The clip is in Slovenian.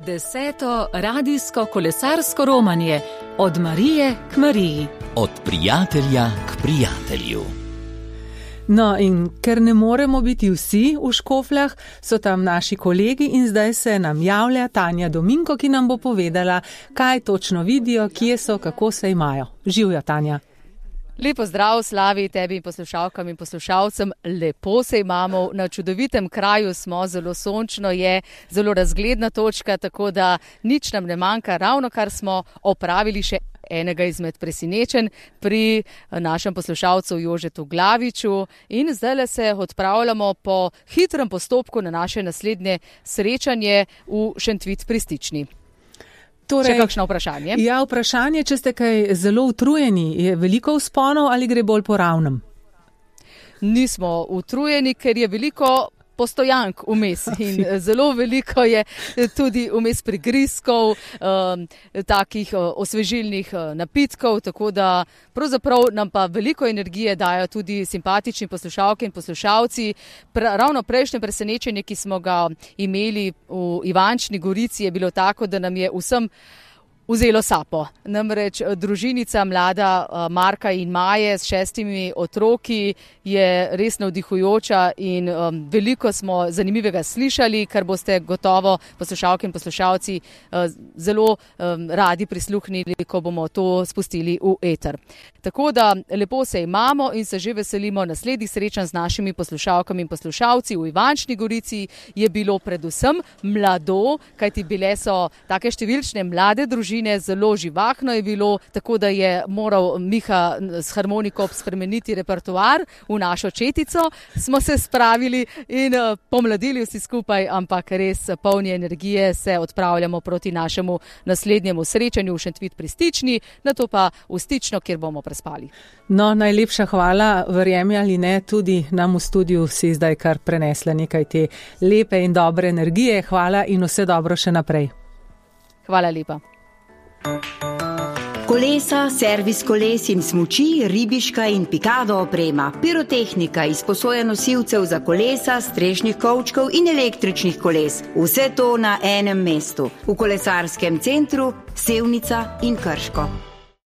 10. radijsko kolesarsko romanje od Marije k Mariji. Od prijatelja k prijatelju. No, in ker ne moremo biti vsi v Škofljah, so tam naši kolegi in zdaj se nam javlja Tanja Dominko, ki nam bo povedala, kaj točno vidijo, kje so, kako se imajo. Živjo, Tanja. Lepo zdrav, Slavi, tebi in poslušalkam in poslušalcem. Lepo se imamo, na čudovitem kraju smo, zelo sončno je, zelo razgledna točka, tako da nič nam ne manjka, ravno kar smo opravili še enega izmed presenečenj pri našem poslušalcu Jožetu Glaviču in zdaj se odpravljamo po hitrem postopku na naše naslednje srečanje v Šentvid pri Stični. Torej, še kakšno vprašanje? Ja, vprašanje, če ste kaj zelo utrujeni, je veliko vzponov ali gre bolj po ravnem? Nismo utrujeni, ker je veliko postojank vmes in zelo veliko je tudi vmes prigrizkov, takih osvežilnih napitkov, tako da pravzaprav nam pa veliko energije dajo tudi simpatični poslušalke in poslušalci. Ravno prejšnje presenečenje, ki smo ga imeli v Ivančni Gorici, je bilo tako, da nam je vsem vzelo sapo. Namreč družinica mlada Marka in Maje s 6 otroki je res navdihujoča in veliko smo zanimivega slišali, kar boste gotovo poslušalke in poslušalci zelo radi prisluhnili, ko bomo to spustili v eter. Tako da lepo se imamo in se že veselimo naslednjih srečanj z našimi poslušalkami in poslušalci. V Ivančni Gorici je bilo predvsem mlado, kajti bile so take številčne mlade družine, zelo živahno je bilo, tako da je moral Miha s harmoniko spremeniti repertoar. V našo četico smo se spravili in pomladili vsi skupaj, ampak res polni energije se odpravljamo proti našemu naslednjemu srečanju v Šentvid pri Stični, nato pa v Stično, kjer bomo prespali. No, najlepša hvala, verjemi ali ne, tudi nam v studiu si zdaj kar prenesla nekaj te lepe in dobre energije. Hvala in vse dobro še naprej. Hvala lepa. Kolesa, servis koles in smuči, ribiška in pikado oprema, pirotehnika, izposoja nosilcev za kolesa, strešnih kovčkov in električnih koles. Vse to na enem mestu, v kolesarskem centru Sevnica in Krško.